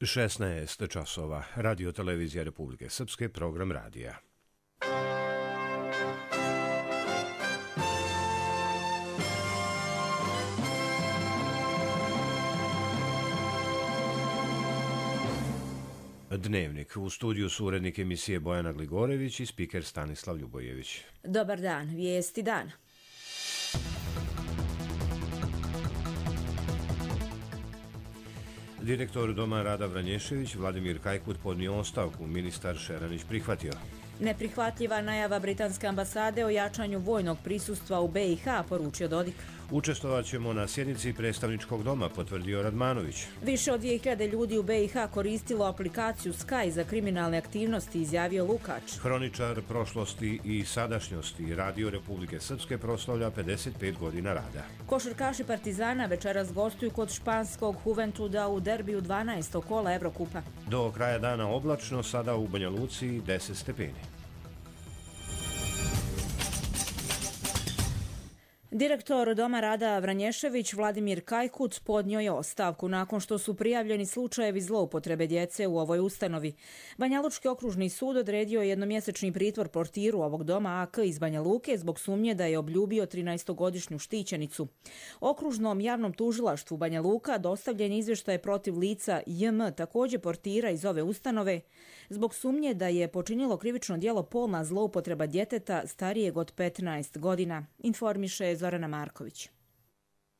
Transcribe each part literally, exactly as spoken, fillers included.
šesnaest časova. Radio Televizija Republike Srpske, program radija. Dnevnik. U studiju su urednik emisije Bojana Gligorević i spiker Stanislav Ljubojević. Dobar dan, vijesti dana. Direktor Doma Rada Vranješević Vladimir Kajkut podnio ostavku, ministar Šeranić prihvatio. Neprihvatljiva najava britanske ambasade o jačanju vojnog prisustva u B i H, poručio Dodik. Učestvovat ćemo na sjednici predstavničkog doma, potvrdio Radmanović. Više od dvije hiljade ljudi u B i H koristilo aplikaciju Sky za kriminalne aktivnosti, izjavio Lukač. Hroničar prošlosti i sadašnjosti Radio Republike Srpske proslavlja pedeset pet godina rada. Košarkaši Partizana večeras gostuju kod španskog Juventuda u derbiju dvanaestog kola Evrokupa. Do kraja dana oblačno, sada u Banja Luci deset stepeni. Direktor Doma Rada Vranješević Vladimir Kajkut podnio je ostavku nakon što su prijavljeni slučajevi zloupotrebe djece u ovoj ustanovi. Banjalučki okružni sud odredio jednomjesečni pritvor portiru ovog doma A K iz Banja Luke zbog sumnje da je obljubio trinaestogodišnju štićenicu. Okružnom javnom tužilaštvu Banja Luka dostavljen izvještaj protiv lica J M, također portira iz ove ustanove, zbog sumnje da je počinilo krivično djelo polna zloupotreba djeteta starijeg od petnaest godina, informiše Zorana Marković.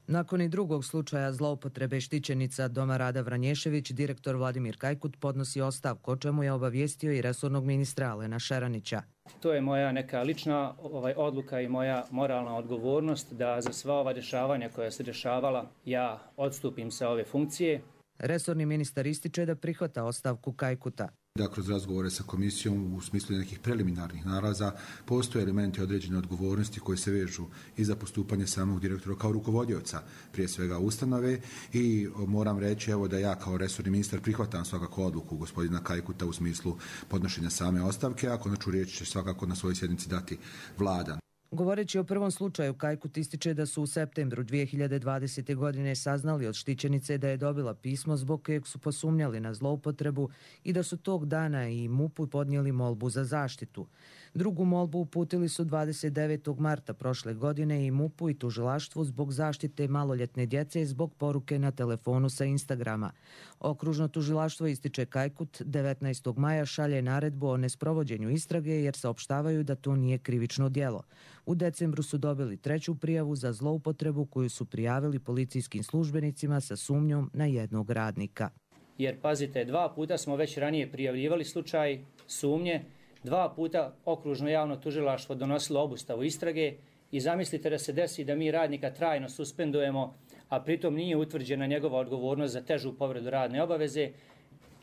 Nakon i drugog slučaja zloupotrebe štićenica Doma Rada Vranješević, direktor Vladimir Kajkut podnosi ostavku, o čemu je obavijestio i resornog ministra Alena Šeranića. To je moja neka lična ovaj, odluka i moja moralna odgovornost da za sva ova dešavanja koja se dešavala ja odstupim sa ove funkcije. Resorni ministar ističe da prihvata ostavku Kajkuta. Da kroz razgovore sa komisijom u smislu nekih preliminarnih nalaza postoje elementi određene odgovornosti koji se vežu i za postupanje samog direktora kao rukovodioca prije svega ustanove i moram reći evo da ja kao resorni ministar prihvatam svakako odluku gospodina Kajkuta u smislu podnošenja same ostavke, a konačnu riječ će svakako na svojoj sjednici dati vlada. Govoreći o prvom slučaju, Kajkut ističe da su u septembru dvije hiljade dvadesete. godine saznali od štićenice da je dobila pismo zbog kojeg su posumnjali na zloupotrebu i da su tog dana i M U P-u podnijeli molbu za zaštitu. Drugu molbu uputili su dvadeset devetog marta prošle godine i M U P-u i tužilaštvu zbog zaštite maloljetne djece zbog poruke na telefonu sa Instagrama. Okružno tužilaštvo, ističe Kajkut, devetnaestog maja šalje naredbu o nesprovođenju istrage jer saopštavaju da to nije krivično djelo. U decembru su dobili treću prijavu za zloupotrebu koju su prijavili policijskim službenicima sa sumnjom na jednog radnika. Jer pazite, dva puta smo već ranije prijavljivali slučaj sumnje, dva puta okružno javno tužilaštvo donosilo obustavu istrage i zamislite da se desi da mi radnika trajno suspendujemo, a pritom nije utvrđena njegova odgovornost za težu povredu radne obaveze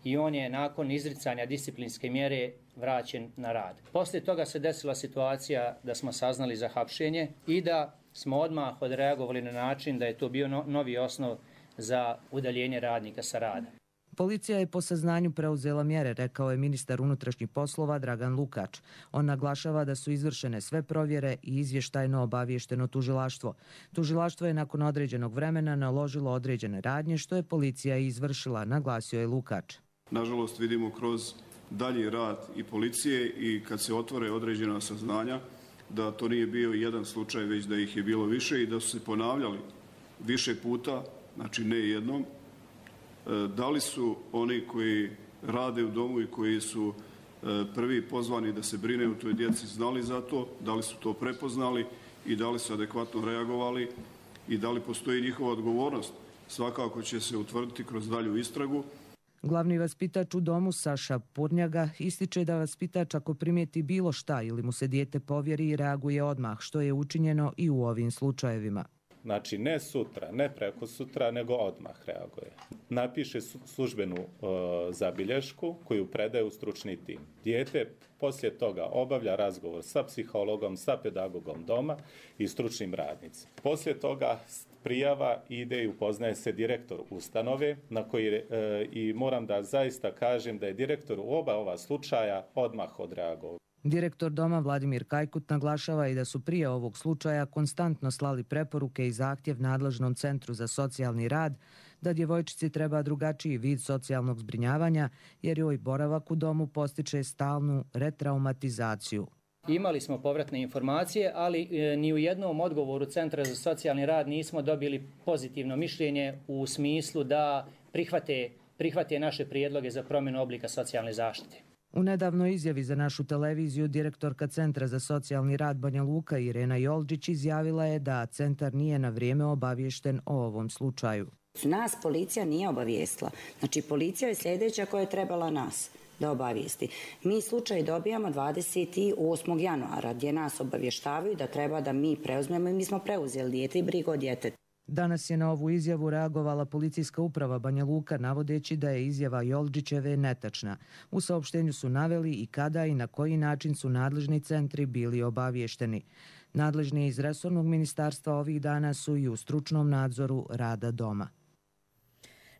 i on je nakon izricanja disciplinske mjere vraćen na rad. Poslije toga se desila situacija da smo saznali za hapšenje i da smo odmah odreagovali na način da je to bio no, novi osnov za udaljenje radnika sa rada. Policija je po saznanju preuzela mjere, rekao je ministar unutrašnjih poslova Dragan Lukač. On naglašava da su izvršene sve provjere i izvještajno obavješteno tužilaštvo. Tužilaštvo je nakon određenog vremena naložilo određene radnje, što je policija izvršila, naglasio je Lukač. Nažalost vidimo kroz dalji rad i policije i kad se otvore određena saznanja da to nije bio jedan slučaj, već da ih je bilo više i da su se ponavljali više puta, znači ne jednom. Da li su oni koji rade u domu i koji su prvi pozvani da se brine u toj djeci znali za to, da li su to prepoznali i da li su adekvatno reagovali i da li postoji njihova odgovornost, svakako će se utvrditi kroz dalju istragu. Glavni vaspitač u domu Saša Purnjaga ističe da vaspitač ako primijeti bilo šta ili mu se dijete povjeri reaguje odmah, što je učinjeno i u ovim slučajevima. Znači ne sutra, ne preko sutra, nego odmah reaguje. Napiše službenu e, zabilješku koju predaje u stručni tim. Dijete poslije toga obavlja razgovor sa psihologom, sa pedagogom doma i stručnim radnicima. Poslije toga prijava ide i upoznaje se direktor ustanove na koji e, i moram da zaista kažem da je direktor u oba ova slučaja odmah odreagovao. Direktor doma Vladimir Kajkut naglašava i da su prije ovog slučaja konstantno slali preporuke i zahtjev nadležnom centru za socijalni rad da djevojčici treba drugačiji vid socijalnog zbrinjavanja jer joj boravak u domu postiče stalnu retraumatizaciju. Imali smo povratne informacije, ali e, ni u jednom odgovoru Centra za socijalni rad nismo dobili pozitivno mišljenje u smislu da prihvate, prihvate naše prijedloge za promjenu oblika socijalne zaštite. U nedavnoj izjavi za našu televiziju direktorka Centra za socijalni rad Banja Luka Irena Joldžić izjavila je da centar nije na vrijeme obaviješten o ovom slučaju. Nas policija nije obavijestila. Znači policija je sljedeća koja je trebala nas da obavijesti. Mi slučaj dobijamo dvadeset osmog januara gdje nas obavještavaju da treba da mi preuzmemo i mi smo preuzeli dijete i brigu o djetetu. Danas je na ovu izjavu reagovala policijska uprava Banja Luka navodeći da je izjava Joldžićeve netačna. U saopštenju su naveli i kada i na koji način su nadležni centri bili obavješteni. Nadležni iz resornog ministarstva ovih dana su i u stručnom nadzoru rada doma.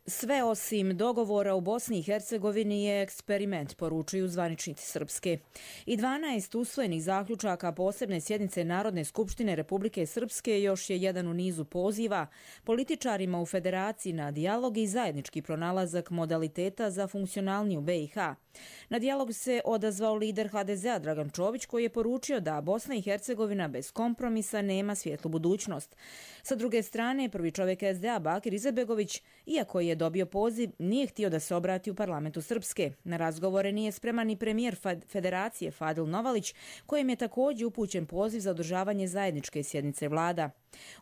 Sve osim dogovora u Bosni i Hercegovini je eksperiment, poručuju zvaničnici Srpske. I dvanaest usvojenih zaključaka posebne sjednice Narodne skupštine Republike Srpske još je jedan u nizu poziva političarima u federaciji na dijalog i zajednički pronalazak modaliteta za funkcionalniju B i H. Na dijalog se odazvao lider H D Z-a Dragan Čović koji je poručio da Bosna i Hercegovina bez kompromisa nema svjetlu budućnost. Sa druge strane, prvi čovjek S D A Bakir Izetbegović, iako je dobio poziv, nije htio da se obrati u parlamentu Srpske. Na razgovore nije spreman ni premijer Federacije Fadil Novalić, kojem je također upućen poziv za održavanje zajedničke sjednice vlada.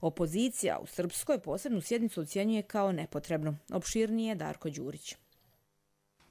Opozicija u Srpskoj posebnu sjednicu ocjenjuje kao nepotrebnu. Opširnije Darko Đurić.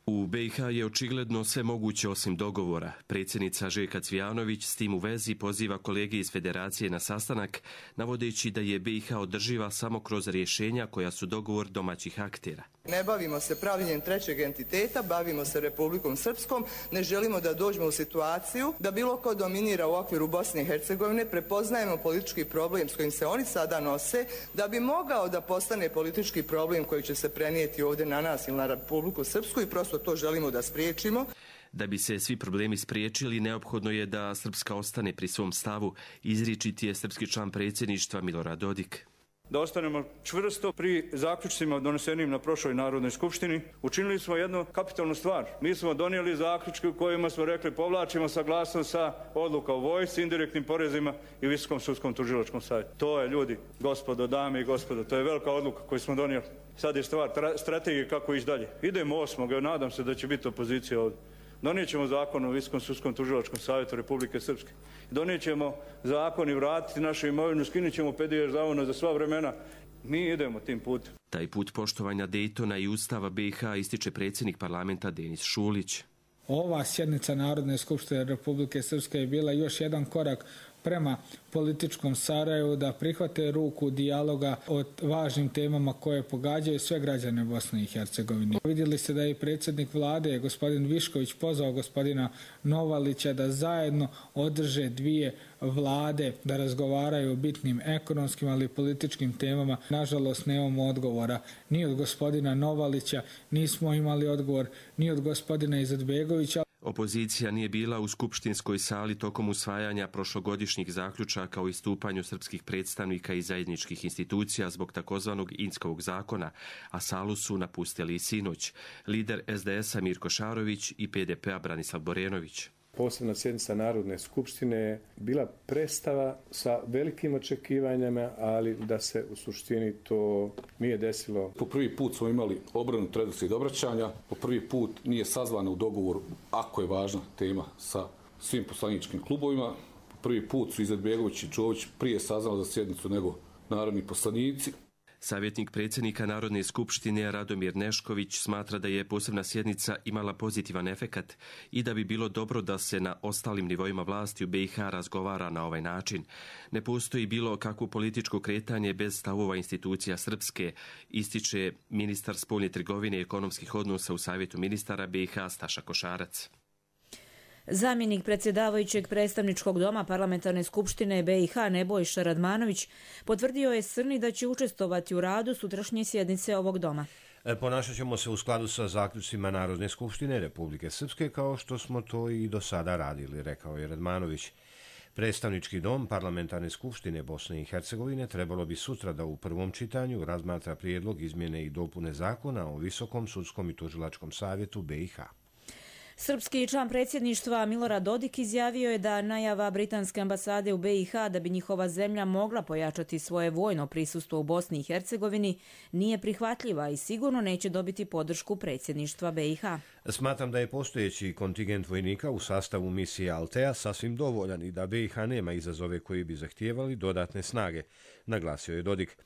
U B i H je očigledno sve moguće osim dogovora. Predsjednica Željka Cvijanović s tim u vezi poziva kolege iz Federacije na sastanak, navodeći da je B i H održiva samo kroz rješenja koja su dogovor domaćih aktera. Ne bavimo se pravljenjem trećeg entiteta, bavimo se Republikom Srpskom, ne želimo da dođemo u situaciju da bilo ko dominira u okviru Bosne i Hercegovine, prepoznajemo politički problem s kojim se oni sada nose, da bi mogao da postane politički problem koji će se prenijeti ovdje na nas ili na Republiku Srpsku i prosto to želimo da spriječimo. Da bi se svi problemi spriječili, neophodno je da Srpska ostane pri svom stavu, izričiti je srpski član predsjedništva Milorad Dodik. Da ostanemo čvrsto pri zaključcima donesenim na prošloj Narodnoj skupštini. Učinili smo jednu kapitalnu stvar. Mi smo donijeli zaključke u kojima smo rekli povlačimo saglasnost sa odluka o vojsci, indirektnim porezima i Visokom sudskom tužilačkom savjetu. To je, ljudi, gospodo, dame i gospodo, to je velika odluka koju smo donijeli. Sad je stvar strategije kako ići dalje. Idemo osmog, nadam se da će biti opozicija ovdje. Donijet ćemo zakon o Visokom sudskom tužilačkom savjetu Republike Srpske. Donijet ćemo zakon i vratiti našu imovinu, skinut ćemo P D Ž za sva vremena. Mi idemo tim putem. Taj put poštovanja Dejtona i Ustava B i H ističe predsjednik parlamenta Denis Šulić. Ova sjednica Narodne skupštine Republike Srpske je bila još jedan korak prema političkom Sarajevu da prihvate ruku dijaloga o važnim temama koje pogađaju sve građane Bosne i Hercegovine. Vidjeli ste da je predsjednik vlade, gospodin Višković, pozvao gospodina Novalića da zajedno održe dvije vlade, da razgovaraju o bitnim ekonomskim, ali i političkim temama. Nažalost, nemamo odgovora ni od gospodina Novalića, nismo imali odgovor ni od gospodina Izetbegovića. Opozicija nije bila u skupštinskoj sali tokom usvajanja prošlogodišnjih zaključaka o istupanju srpskih predstavnika i zajedničkih institucija zbog takozvanog Inskovog zakona, a salu su napustili i sinoć. Lider S D S-a Mirko Šarović i P D P-a Branislav Borenović. Posebna sjednica Narodne skupštine je bila predstava sa velikim očekivanjama, ali da se u suštini to nije desilo. Po prvi put smo imali obranu redoslijed obraćanja, po prvi put nije sazvana u dogovoru, ako je važna tema, sa svim poslaničkim klubovima. Po prvi put su Izetbegović i Čović prije saznali za sjednicu nego narodni poslanici. Savjetnik predsjednika Narodne skupštine Radomir Nešković smatra da je posebna sjednica imala pozitivan efekat i da bi bilo dobro da se na ostalim nivoima vlasti u B i H razgovara na ovaj način. Ne postoji bilo kakvo političko kretanje bez stavova institucija Srpske, ističe ministar spoljne trgovine i ekonomskih odnosa u Savjetu ministara B i H Staša Košarac. Zamjenik predsjedavajućeg predstavničkog doma Parlamentarne skupštine B i H Nebojša Radmanović potvrdio je Srni da će učestvovati u radu sutrašnje sjednice ovog doma. Ponašat ćemo se u skladu sa zaključcima Narodne skupštine Republike Srpske kao što smo to i do sada radili, rekao je Radmanović. Predstavnički dom Parlamentarne skupštine Bosne i Hercegovine trebalo bi sutra da u prvom čitanju razmatra prijedlog izmjene i dopune zakona o Visokom sudskom i tužilačkom savjetu B i H. Srpski član predsjedništva Milorad Dodik izjavio je da najava britanske ambasade u B i H da bi njihova zemlja mogla pojačati svoje vojno prisustvo u Bosni i Hercegovini nije prihvatljiva i sigurno neće dobiti podršku predsjedništva B i H. Smatram da je postojeći kontingent vojnika u sastavu misije Altea sasvim dovoljan i da B i H nema izazove koji bi zahtijevali dodatne snage, naglasio je Dodik.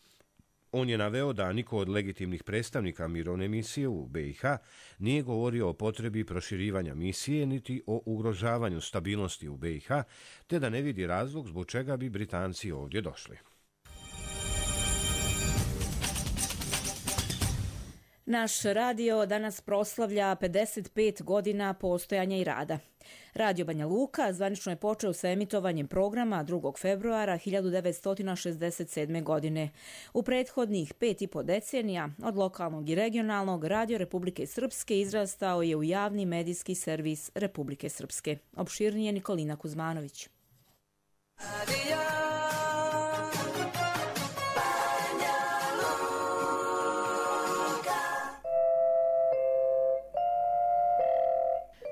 On je naveo da niko od legitimnih predstavnika mirovne misije u B i H nije govorio o potrebi proširivanja misije niti o ugrožavanju stabilnosti u B i H, te da ne vidi razlog zbog čega bi Britanci ovdje došli. Naš radio danas proslavlja pedeset pet godina postojanja i rada. Radio Banja Luka zvanično je počeo sa emitovanjem programa drugog februara hiljadu devetsto šezdeset sedme. godine. U prethodnih pet i po decenija od lokalnog i regionalnog Radio Republike Srpske izrastao je u javni medijski servis Republike Srpske. Opširnije Nikolina Kuzmanović.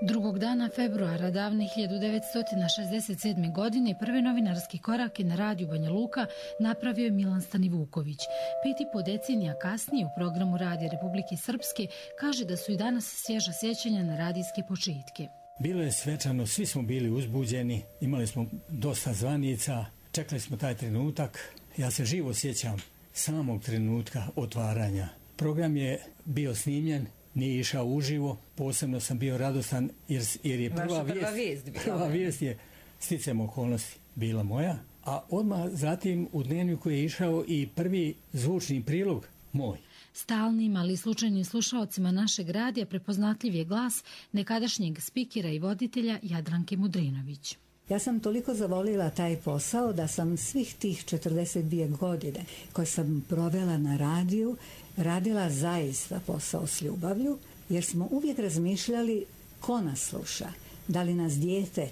Drugog dana februara davne hiljadu devetsto šezdeset sedme. godine prve novinarski korake na radiju Banja Luka napravio je Milan Stanivuković. Pet i po decenija kasnije u programu Radija Republike Srpske kaže da su i danas svježa sjećanja na radijske početke. Bilo je svečano, svi smo bili uzbuđeni, imali smo dosta zvanica, čekali smo taj trenutak. Ja se živo sjećam samog trenutka otvaranja. Program je bio snimljen, nije išao uživo, posebno sam bio radostan jer, jer je prva vijest, prva vijest, prva vijest je sticajem okolnosti bila moja, a odmah zatim u dnevniku je išao i prvi zvučni prilog moj. Stalnim, ali slučajnim slušaocima našeg radija prepoznatljiv je glas nekadašnjeg spikera i voditelja Jadranke Mudrinović. Ja sam toliko zavolila taj posao da sam svih tih četrdeset dvije godine koje sam provela na radiju radila zaista posao s ljubavlju, jer smo uvijek razmišljali ko nas sluša, da li nas dijete,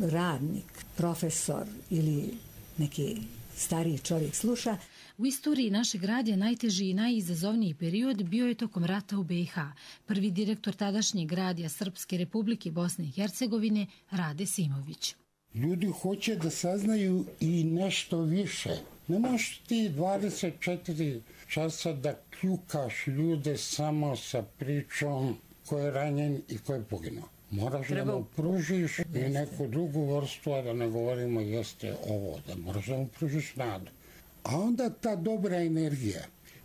radnik, profesor ili neki stariji čovjek sluša. U istoriji našeg radija najteži i najizazovniji period bio je tokom rata u B i H. Prvi direktor tadašnjeg radija Srpske Republike Bosne i Hercegovine Rade Simović. Ljudi hoće da saznaju i nešto više. Ne možeš ti dvadeset četiri časa da kljukaš ljude samo sa pričom ko je ranjen i ko je poginuo. Moraš Treba... da mu pružiš i neku drugu vrstu, a da ne govorimo jeste ovo, da moraš da mu pružiš nadu. A onda ta dobra energija,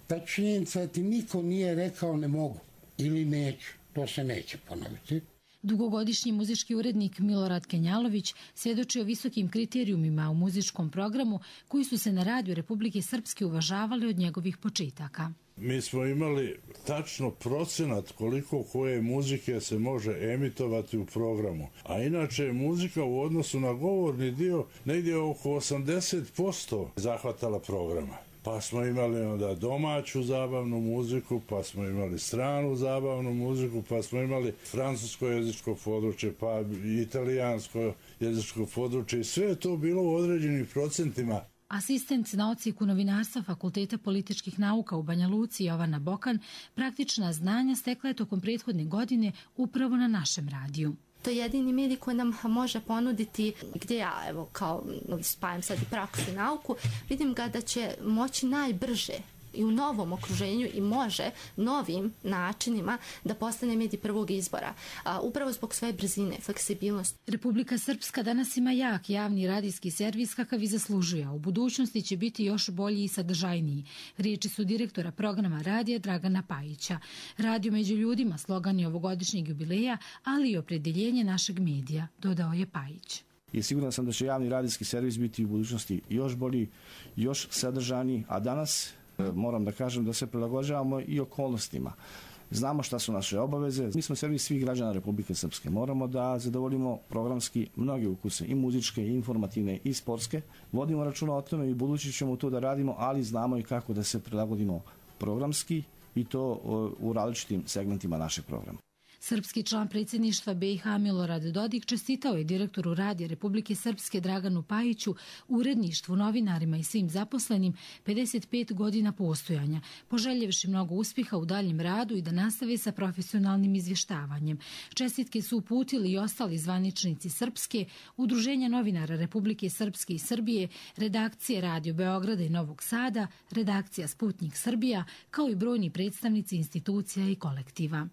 ta činjenica da ti niko nije rekao ne mogu ili neću, to se neće ponoviti. Dugogodišnji muzički urednik Milorad Kenjalović svjedoči o visokim kriterijumima u muzičkom programu koji su se na radiju Republike Srpske uvažavali od njegovih početaka. Mi smo imali tačno procenat koliko koje muzike se može emitovati u programu. A inače je muzika u odnosu na govorni dio negdje oko osamdeset posto zahvatala programa. Pa smo imali onda domaću zabavnu muziku, pa smo imali stranu zabavnu muziku, pa smo imali francusko jezičko područje, pa italijansko jezičko područje i sve je to bilo u određenim procentima. Asistent na odsjeku novinarstva Fakulteta političkih nauka u Banja Luci Jovana Bokan praktična znanja stekla je tokom prethodne godine upravo na našem radiju. To je jedini medij koji nam može ponuditi, gdje ja evo kao spajam sad i praksu i nauku, vidim ga da će moći najbrže i u novom okruženju i može novim načinima da postane medij prvog izbora. A, upravo zbog svoje brzine, fleksibilnosti. Republika Srpska danas ima jak javni radijski servis kakav i zaslužuje. U budućnosti će biti još bolji i sadržajniji. Riječi su direktora programa radija Dragana Pajića. Radio među ljudima slogan je ovogodišnjeg jubileja, ali i opredjeljenje našeg medija, dodao je Pajić. I siguran sam da će javni radijski servis biti u budućnosti još bolji, još sadržajniji, a danas moram da kažem da se prilagođavamo i okolnostima. Znamo šta su naše obaveze. Mi smo servis svih građana Republike Srpske. Moramo da zadovoljimo programski mnoge ukuse, i muzičke, i informativne, i sportske. Vodimo računa o tome i budući ćemo to da radimo, ali znamo i kako da se prilagodimo programski i to u različitim segmentima našeg programa. Srpski član predsjedništva B i H Milorad Dodik čestitao je direktoru Radija Republike Srpske Draganu Pajiću, uredništvu, novinarima i svim zaposlenim pedeset pet godina postojanja, poželjevši mnogo uspjeha u daljem radu i da nastave sa profesionalnim izvještavanjem. Čestitke su uputili i ostali zvaničnici Srpske, Udruženja novinara Republike Srpske i Srbije, redakcije Radio Beograda i Novog Sada, redakcija Sputnik Srbija, kao i brojni predstavnici institucija i kolektiva.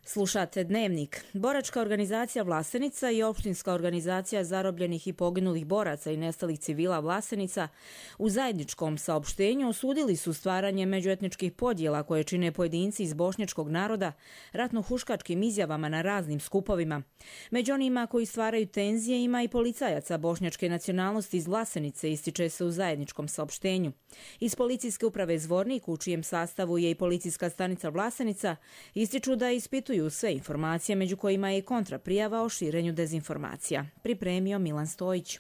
Slušate Dnevnik. Boračka organizacija Vlasenica i opštinska organizacija zarobljenih i poginulih boraca i nestalih civila Vlasenica u zajedničkom saopštenju osudili su stvaranje međuetničkih podjela koje čine pojedinci iz bošnjačkog naroda ratno-huškačkim izjavama na raznim skupovima. Među onima koji stvaraju tenzije ima i policajaca bošnjačke nacionalnosti iz Vlasenice, ističe se u zajedničkom saopštenju. Iz policijske uprave Zvornik, u čijem sastavu je i policijska stanica Vlasenica, ističu da ispituju sve informacije, među kojima je i kontraprijava o širenju dezinformacija. Pripremio Milan Stojić.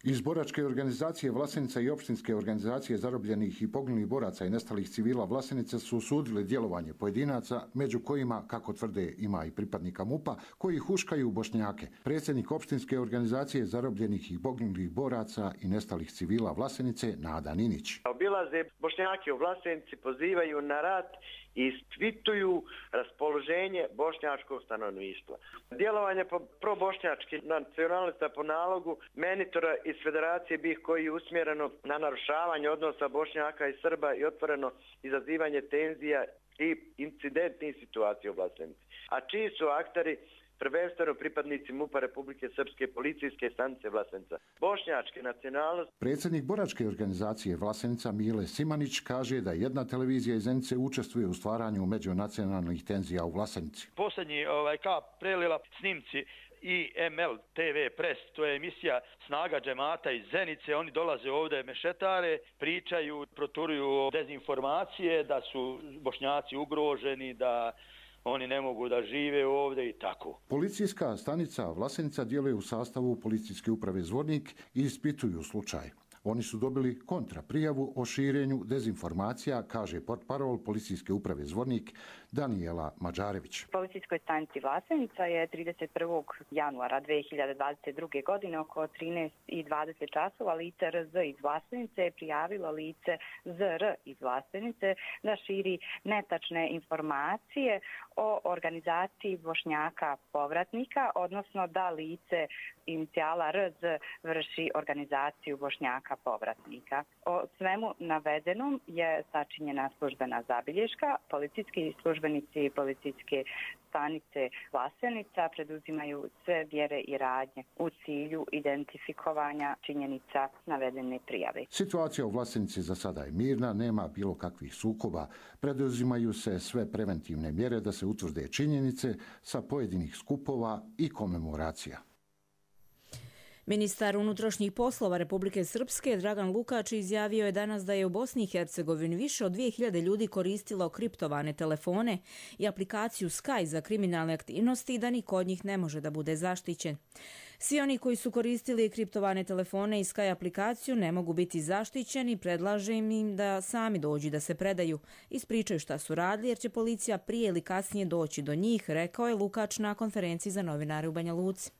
Iz boračke organizacije Vlasenica i opštinske organizacije zarobljenih i poginulih boraca i nestalih civila Vlasenice su osudili djelovanje pojedinaca, među kojima, kako tvrde, ima i pripadnika MUP-a, koji huškaju Bošnjake. Predsjednik opštinske organizacije zarobljenih i poginulih boraca i nestalih civila Vlasenice, Nada Ninić. Obilaze Bošnjake u Vlasenici, pozivaju na rat i ispituju raspoloženje bošnjačkog stanovništva. Djelovanje pro-bošnjački nacionalista po nalogu menitora iz Federacije B i H koji je usmjereno na narušavanje odnosa Bošnjaka i Srba i otvoreno izazivanje tenzija i incidentnih situacija u Vlasenici. A čiji su akteri prvenstveno pripadnici MUP-a Republike Srpske, policijske stanice Vlasenica. Bošnjačke nacionalnosti. Predsjednik boračke organizacije Vlasenica Mile Simanić kaže da jedna televizija iz Zenice učestvuje u stvaranju međunacionalnih tenzija u Vlasenici. Posljednji ovaj, kap prelila snimci i M L T V Press, to je emisija Snaga džemata iz Zenice, oni dolaze ovdje mešetare, pričaju, proturuju dezinformacije da su Bošnjaci ugroženi, da oni ne mogu da žive ovdje i tako. Policijska stanica Vlasenica djeluje u sastavu policijske uprave Zvornik i ispituju slučaj. Oni su dobili kontraprijavu o širenju dezinformacija, kaže portparol policijske uprave Zvornik Danijela Mađarević. Policijskoj stanici Vlasenica je trideset prvog januara dve hiljade dvadeset druge. godine oko trinaest i dvadeset časova lice R Z iz Vlasenice je prijavilo lice Z R iz Vlasenice da širi netačne informacije o organizaciji Bošnjaka povratnika, odnosno da lice inicijala R Z vrši organizaciju Bošnjaka povratnika. O svemu navedenom je sačinjena službena zabilješka. Policijski službenici i policijske stanice Vlasenica preduzimaju sve mjere i radnje u cilju identifikovanja činjenica navedene prijave. Situacija u Vlasenici za sada je mirna, nema bilo kakvih sukoba. Preduzimaju se sve preventivne mjere da se utvrde činjenice sa pojedinih skupova i komemoracija. Ministar unutrašnjih poslova Republike Srpske Dragan Lukač izjavio je danas da je u Bosni i Hercegovini više od dvije hiljade ljudi koristilo kriptovane telefone i aplikaciju Sky za kriminalne aktivnosti i da niko od njih ne može da bude zaštićen. Svi oni koji su koristili kriptovane telefone i Sky aplikaciju ne mogu biti zaštićeni, predlaže im da sami dođu da se predaju, ispričaju šta su radili jer će policija prije ili kasnije doći do njih, rekao je Lukač na konferenciji za novinare u Banja Luci.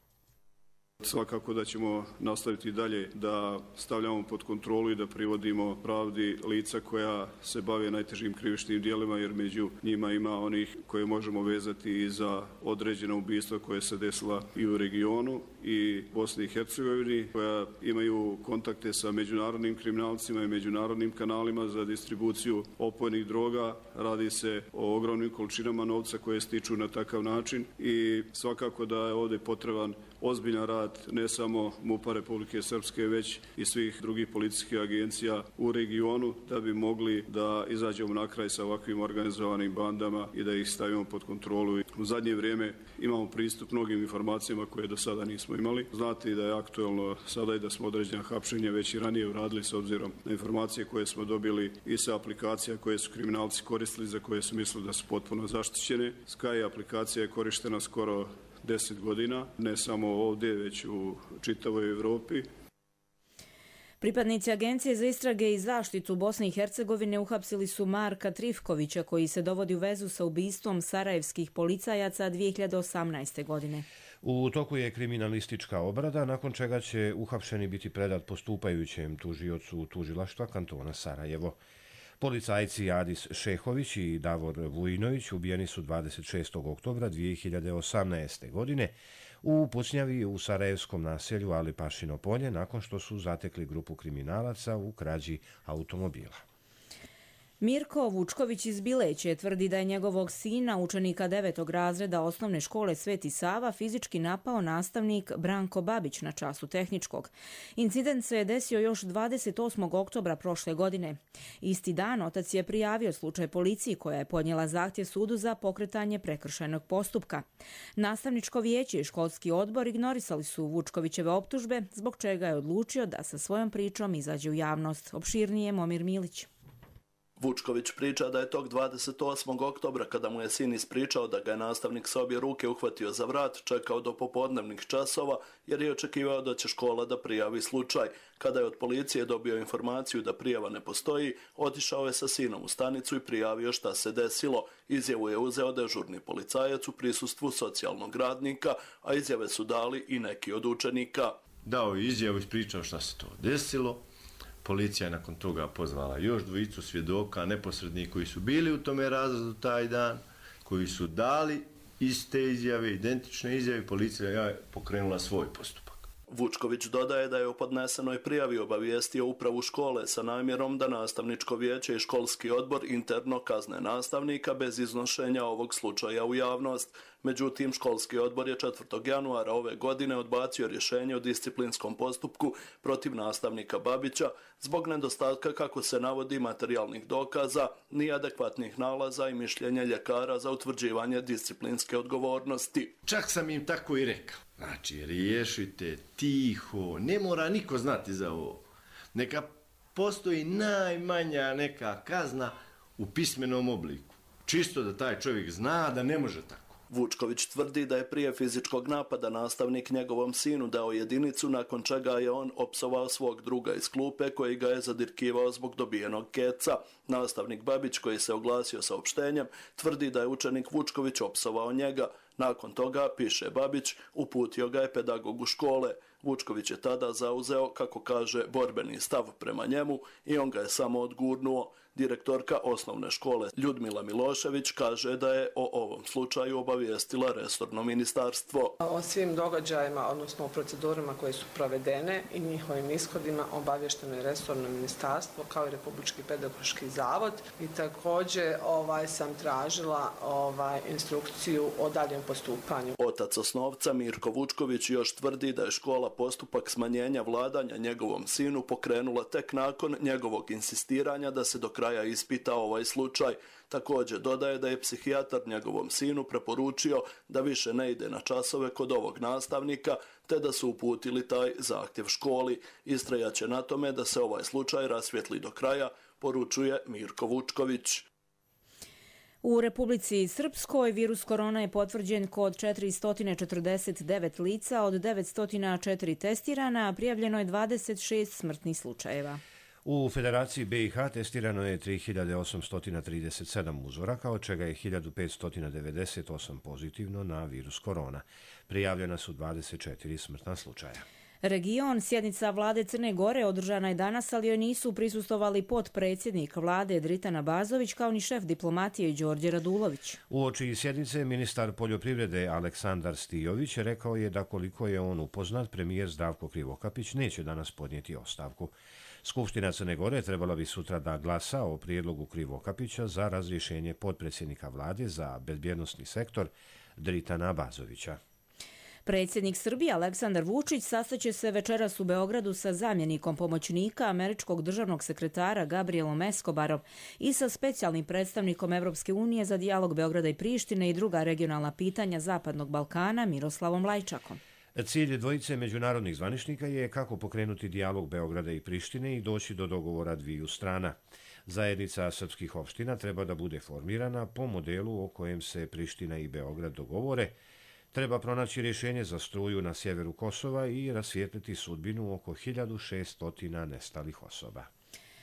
Svakako da ćemo nastaviti dalje da stavljamo pod kontrolu i da privodimo pravdi lica koja se bave najtežim krivičnim dijelima, jer među njima ima onih koje možemo vezati i za određena ubistva koje se desila i u regionu i Bosni i Hercegovini, koja imaju kontakte sa međunarodnim kriminalcima i međunarodnim kanalima za distribuciju opojnih droga. Radi se o ogromnim količinama novca koje stiču na takav način i svakako da je ovdje potreban ozbiljan rad ne samo MUP-a Republike Srpske, već i svih drugih policijskih agencija u regionu da bi mogli da izađemo na kraj sa ovakvim organizovanim bandama i da ih stavimo pod kontrolu. U zadnje vrijeme imamo pristup mnogim informacijama koje do sada nismo imali. Znate da je aktuelno sada i da smo određena hapšenja već i ranije uradili s obzirom na informacije koje smo dobili i sa aplikacija koje su kriminalci koristili, za koje su mislili da su potpuno zaštićene. Sky aplikacija je korištena skoro deset godina, ne samo ovdje, već u čitavoj Evropi. Pripadnici Agencije za istrage i zaštitu Bosne i Hercegovine uhapsili su Marka Trifkovića, koji se dovodi u vezu sa ubistvom sarajevskih policajaca dvije hiljade osamnaeste. godine. U toku je kriminalistička obrada, nakon čega će uhapšeni biti predat postupajućem tužiocu tužilaštva kantona Sarajevo. Policajci Adis Šehović i Davor Vujinović ubijeni su dvadeset šestog oktobra dvije hiljade osamnaeste. godine u pucnjavi u sarajevskom naselju Ali Pašino polje, nakon što su zatekli grupu kriminalaca u krađi automobila. Mirko Vučković iz Bileće tvrdi da je njegovog sina, učenika devetog razreda osnovne škole Sveti Sava, fizički napao nastavnik Branko Babić na času tehničkog. Incident se je desio još dvadeset osmog oktobra prošle godine. Isti dan otac je prijavio slučaj policiji, koja je podnijela zahtjev sudu za pokretanje prekršajnog postupka. Nastavničko vijeće i školski odbor ignorisali su Vučkovićeve optužbe, zbog čega je odlučio da sa svojom pričom izađe u javnost. Opširnije Momir Milić. Vučković priča da je tog dvadeset osmog oktobra, kada mu je sin ispričao da ga je nastavnik sa obje ruke uhvatio za vrat, čekao do popodnevnih časova jer je očekivao da će škola da prijavi slučaj. Kada je od policije dobio informaciju da prijava ne postoji, otišao je sa sinom u stanicu i prijavio šta se desilo. Izjavu je uzeo dežurni policajac u prisustvu socijalnog radnika, a izjave su dali i neki od učenika. Dao je izjavu, ispričao šta se to desilo. Policija je nakon toga pozvala još dvojicu svjedoka, neposrednih, koji su bili u tome razredu taj dan, koji su dali iste izjave, identične izjave. Policija je pokrenula svoj postupak. Vučković dodaje da je u podnesenoj prijavi obavijestio upravu škole sa namjerom da nastavničko vijeće i školski odbor interno kazne nastavnika bez iznošenja ovog slučaja u javnost. Međutim, školski odbor je četvrtog januara ove godine odbacio rješenje o disciplinskom postupku protiv nastavnika Babića zbog nedostatka, kako se navodi, materijalnih dokaza, ni adekvatnih nalaza i mišljenja ljekara za utvrđivanje disciplinske odgovornosti. Čak sam im tako i rekao. Znači, riješite tiho, ne mora niko znati za ovo. Neka postoji najmanja neka kazna u pismenom obliku. Čisto da taj čovjek zna da ne može tako. Vučković tvrdi da je prije fizičkog napada nastavnik njegovom sinu dao jedinicu, nakon čega je on opsovao svog druga iz klupe koji ga je zadirkivao zbog dobijenog keca. Nastavnik Babić, koji se oglasio saopštenjem, tvrdi da je učenik Vučković opsovao njega. Nakon toga, piše Babić, uputio ga je pedagogu škole. Vučković je tada zauzeo, kako kaže, borbeni stav prema njemu i on ga je samo odgurnuo. Direktorka osnovne škole Ljudmila Milošević kaže da je o ovom slučaju obavijestila resorno ministarstvo. O svim događajima, odnosno o procedurama koje su provedene i njihovim ishodima obavješteno je resorno ministarstvo kao i Republički pedagoški zavod i također ovaj, sam tražila ovaj, instrukciju o daljem postupanju. Otac osnovca Mirko Vučković još tvrdi da je škola postupak smanjenja vladanja njegovom sinu pokrenula tek nakon njegovog insistiranja da se do kraja ispita ovaj slučaj. Također dodaje da je psihijatar njegovom sinu preporučio da više ne ide na časove kod ovog nastavnika, te da su uputili taj zahtjev školi. Istrajaće na tome da se ovaj slučaj rasvijetli do kraja, poručuje Mirko Vučković. U Republici Srpskoj virus korona je potvrđen kod četiristo četrdeset devet lica, od devetsto četiri testirana, a prijavljeno je dvadeset šest smrtnih slučajeva. U Federaciji B i H testirano je tri hiljade osamsto trideset sedam uzoraka, od čega je hiljadu petsto devedeset osam pozitivno na virus korona. Prijavljena su dvadeset četiri smrtna slučaja. Region, sjednica vlade Crne Gore održana je danas, ali joj nisu prisustovali potpredsjednik vlade Dritan Abazović kao ni šef diplomatije Đorđe Radulović. Uoči sjednice ministar poljoprivrede Aleksandar Stijović rekao je da koliko je on upoznat, premijer Zdravko Krivokapić neće danas podnijeti ostavku. Skupština Crne Gore trebala bi sutra da glasa o prijedlogu Krivokapića za razrješenje potpredsjednika vlade za bezbjednosni sektor Dritana Abazovića. Predsjednik Srbije Aleksandar Vučić sastaće se večeras u Beogradu sa zamjenikom pomoćnika američkog državnog sekretara Gabrielom Escobarom i sa specijalnim predstavnikom Evropske unije za dijalog Beograda i Prištine i druga regionalna pitanja Zapadnog Balkana Miroslavom Lajčakom. Cilj dvojice međunarodnih zvaničnika je kako pokrenuti dijalog Beograda i Prištine i doći do dogovora dviju strana. Zajednica srpskih opština treba da bude formirana po modelu o kojem se Priština i Beograd dogovore, Treba pronaći rješenje za struju na sjeveru Kosova i rasvijetliti sudbinu oko hiljadu šesto nestalih osoba.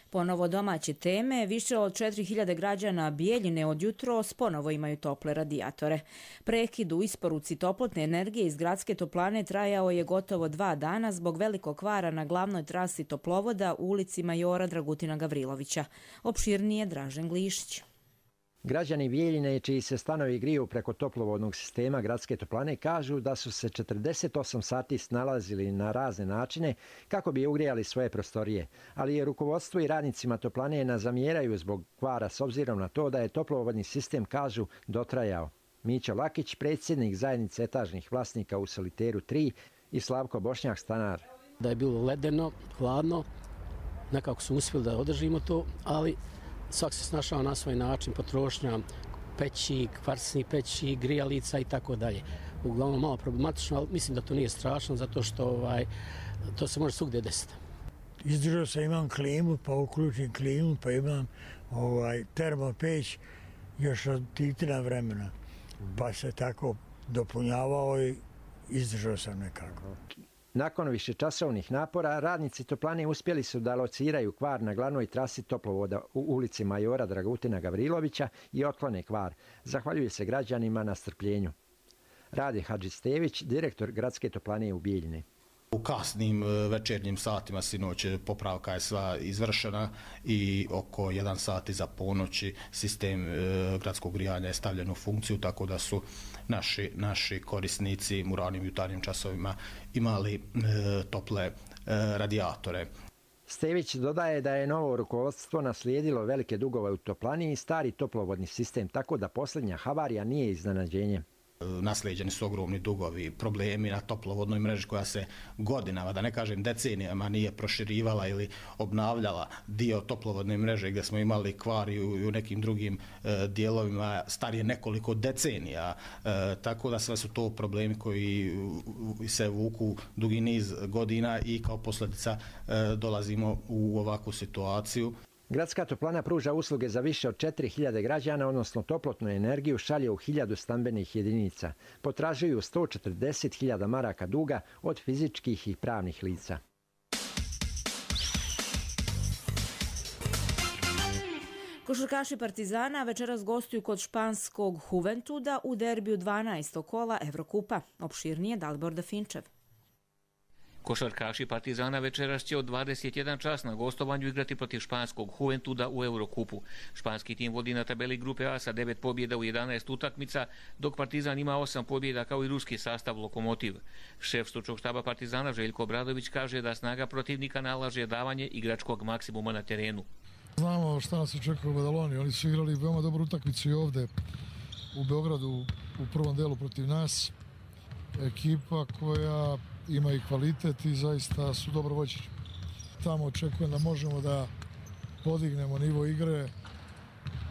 Ponovo domaće teme, više od četiri hiljade građana Bijeljine od jutros ponovo imaju tople radijatore. Prekid u isporuci toplotne energije iz gradske toplane trajao je gotovo dva dana zbog velikog kvara na glavnoj trasi toplovoda u ulici Majora Dragutina Gavrilovića. Opširnije Dražen Glišić. Građani Bijeljine, čiji se stanovi griju preko toplovodnog sistema gradske toplane, kažu da su se četrdeset osam sati snalazili na razne načine kako bi ugrijali svoje prostorije, ali je rukovodstvo i radnicima toplane nazamjeraju zbog kvara s obzirom na to da je toplovodni sistem, kažu, dotrajao. Mićo Lakić, predsjednik zajednice etažnih vlasnika u Soliteru tri, i Slavko Bošnjak, stanar. Da je bilo ledeno, hladno, nekako su uspjeli da održimo to, ali svak se snašao na svoj način, potrošnja peći, kvarsni peći, grijalica i tako dalje. Uglavnom malo problematično, ali mislim da to nije strašno, zato što ovaj, to se može svugdje desiti. Izdržao sam, imam klimu, pa uključim klimu, pa imam ovaj, termopeć još od titina vremena. Pa se tako dopunjavao i izdržao sam nekako. Nakon višečasovnih napora, radnici toplane uspjeli su da lociraju kvar na glavnoj trasi toplovoda u ulici Majora Dragutina Gavrilovića i otklone kvar. Zahvaljuju se građanima na strpljenju. Rade Hadžistević, direktor gradske toplane u Bijeljini. U kasnim večernjim satima sinoć popravka je sva izvršena i oko jedan sat iza ponoći sistem gradskog grijanja je stavljen u funkciju, tako da su naši, naši korisnici u ranim jutarnjim časovima imali e, tople e, radijatore. Stević dodaje da je novo rukovodstvo naslijedilo velike dugove u toplani i stari toplovodni sistem, tako da posljednja havarija nije iznenađenje. Naslijeđeni su ogromni dugovi, problemi na toplovodnoj mreži koja se godinama, da ne kažem decenijama, nije proširivala ili obnavljala dio toplovodne mreže gdje smo imali kvar i u, i u nekim drugim e, dijelovima starije nekoliko decenija. E, tako da sve su to problemi koji se vuku dugi niz godina i kao posljedica e, dolazimo u ovakvu situaciju. Gradska toplana pruža usluge za više od četiri hiljade građana, odnosno toplotnu energiju šalje u hiljadu stambenih jedinica. Potražuju sto četrdeset hiljada maraka duga od fizičkih i pravnih lica. Košarkaši Partizana večeras gostuju kod španskog Juventuda u derbiju dvanaestog kola Evrokupa. Opširnije Dalibor Dafinčev. Košarkaši Partizana večeras će od dvadeset jedan čas na gostovanju igrati protiv španskog Juventuda u Eurokupu. Španski tim vodi na tabeli grupe A sa devet pobjeda u jedanaest utakmica, dok Partizan ima osam pobjeda kao i ruski sastav Lokomotiv. Šef stručnog štaba Partizana Željko Obradović kaže da snaga protivnika nalaže davanje igračkog maksimuma na terenu. Znamo šta nas očekuje u Badaloni. Oni su igrali veoma dobru utakmicu i ovde u Beogradu u prvom delu protiv nas. Ekipa koja ima i kvalitet i zaista su dobro vođeni. Tamo očekujem da možemo da podignemo nivo igre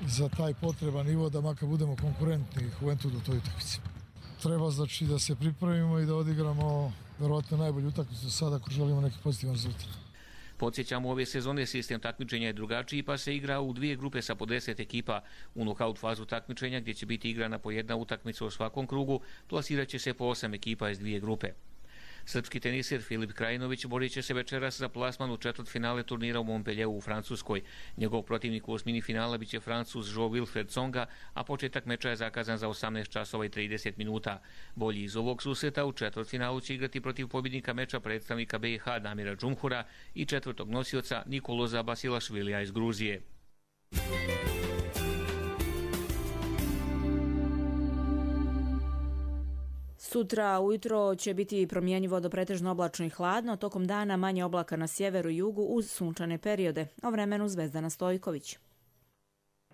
za taj potreban nivo, da makar budemo konkurentni Juventudu u toj utakmici. Treba znači da se pripremimo i da odigramo verovatno najbolju utakmicu sada ako želimo neki pozitivan rezultat. Podsjećamo, ove sezone sistem takmičenja je drugačiji, pa se igra u dvije grupe sa po deset ekipa. U nokaut fazu takmičenja, gdje će biti igrana po jedna utakmica u svakom krugu, plasirat će se po osam ekipa iz dvije grupe. Srpski teniser Filip Krajinović borit će se večeras za plasman u četvrtfinale turnira u Montpellieru u Francuskoj. Njegov protivnik u osmini finala biće Francuz Jo-Wilfried Tsonga, a početak meča je zakazan za osamnaest časova i trideset minuta. Bolji iz ovog susreta u četvrtfinalu će igrati protiv pobjednika meča predstavnika B i H Damira Džumhura i četvrtog nosioca Nikoloza Basilašvilija iz Gruzije. Sutra ujutro će biti promjenjivo do pretežno oblačno i hladno, tokom dana manje oblaka na sjeveru i jugu uz sunčane periode. O vremenu Zvezdana Stojković.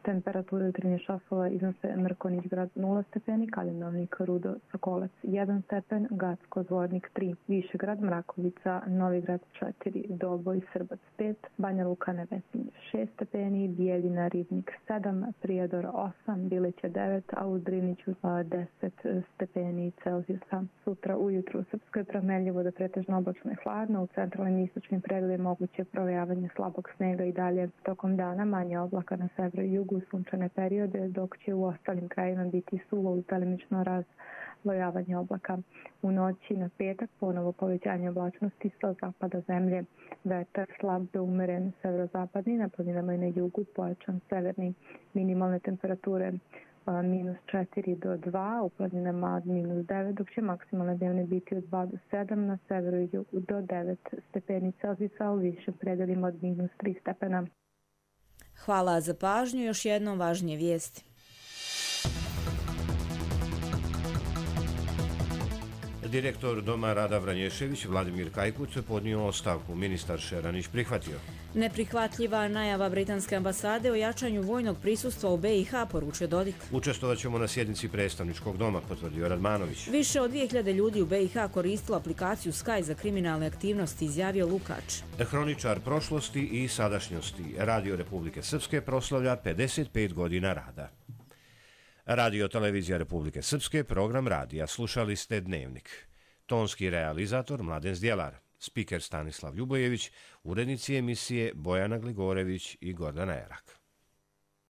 Temperature jutarnjih časova iznose Mrkonjić grad nula stepeni, Kaljendovnik Rudo Sokolac jedan stepen, Gacko Zvornik tri, Višegrad Mrakovica Novigrad četiri, Doboj Srbac pet, Banja Luka Nevesinje šest stepeni, Bijeljina Ribnik sedam, Prijedor osam, Biliće devet, a u Driniću deset stepeni Celzijusa. Sutra ujutru u Srpskoj promjenjivo do pretežno oblačno i hladno, u centralnim i istočnim predelima moguće provejavanje slabog snega i dalje. Tokom dana manje oblaka na severu i jugu u sunčane periode, dok će u ostalim krajima biti suvo uz delimično razlojavanje oblaka. U noći na petak ponovo povećanje oblačnosti sa zapada zemlje. Vetar slab do umeren severozapadni, na planinama i na jugu pojačan severni. Minimalne temperature minus četiri do dva, u planinama minus devet, dok će maksimalne dnevne biti od dva do sedam, na severu i jugu do devet stepeni Celzijusa, u višim predelima od minus tri stepena. Hvala za pažnju. Još jednom važnije vijesti. Direktor Doma Rada Vranješević, Vladimir Kajkuc, podnio ostavku. Ministar Šeranić prihvatio. Neprihvatljiva najava britanske ambasade o jačanju vojnog prisustva u be i ha, poručio Dodik. Učestvovat ćemo na sjednici predstavničkog doma, potvrdio Radmanović. Više od dvije hiljade ljudi u be i ha koristilo aplikaciju Sky za kriminalne aktivnosti, izjavio Lukač. Hroničar prošlosti i sadašnjosti. Radio Republike Srpske proslavlja pedeset pet godina rada. Radio Televizija Republike Srpske, program radija. Slušali ste Dnevnik. Tonski realizator Mladen Zdjelar, spiker Stanislav Ljubojević, urednici emisije Bojana Gligorević i Gordana Erak.